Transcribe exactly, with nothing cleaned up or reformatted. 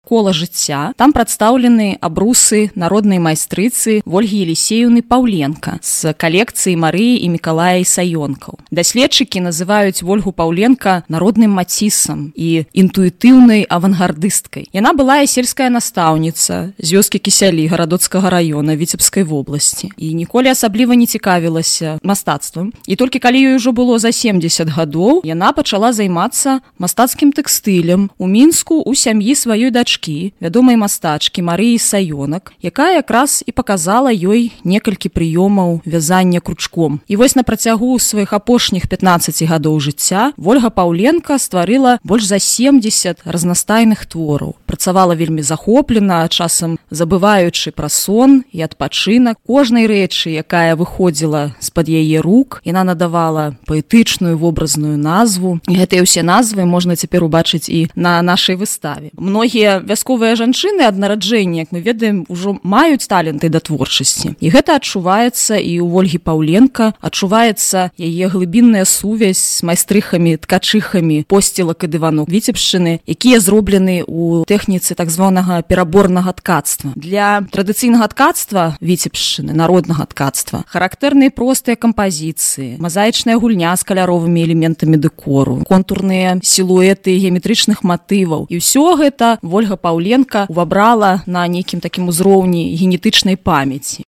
кола жыцця. Там прадстаўлены абрусы народнай майстрыцы Вольгі Елісеевны Паўленка з калекцыі Марыі і Мікалая Ісаёнкаў. Даследчыкі называюць Вольгу Паўленка народным мацісам і інтуітыўнай авангардысткай. Яна была сельская настаўніца з вёскі Кісялі гарадоцкага раёна Віцебскай вобласці і ніколі асабліва не цікавілася мастацтвам. І толькі калі ёй ужо было за семдзесят гадоў, яна пачала займацца мастацкім тэкстылем у Мінску ў сям'і сваёй дачкі, вядомай мастачкі Марыі Ісаёнак, якая якраз і паказала ёй некалькі прыёмаў вязання кручком. І вось на працягу сваіх апошніх пятнаццаці гадоў жыцця Вольга Паўленка стварыла больш за семдзесят разнастайных твораў. Працавала вельмі захоплена, часам забываючы пра сон і адпачынак. Кожнай рэчы, якая выходзіла з-пад яе рук, яна надавала паэтычную вобразную назву. І гэтыя ўсе назвы можна цяпер убачыць і на нашай выставе. Многія вясковыя жанчыны ад нараджэння, як мы ведаем, ужо маюць таленты да творчасці. І гэта адчуваецца і ў Вольгі Паўленка, адчуваецца яе глыбінная сувязь з майстрыхамі, ткачыхамі посцілак і дыванок Віцебшчыны, якія зроблены ў тэхніцы так званага пераборнага ткацтва. Для традыцыйнага ткацтва Віцебшчыны, народнага ткацтва, характэрныя простыя кампазіцыі, мазаічная гульня з каляровымі элементамі дэкору, контурныя сілуэты геаметрычных матываў. І ўсё гэта Вольга Паўленка увабрала на нейкім такім узроўні генетычнай памяці.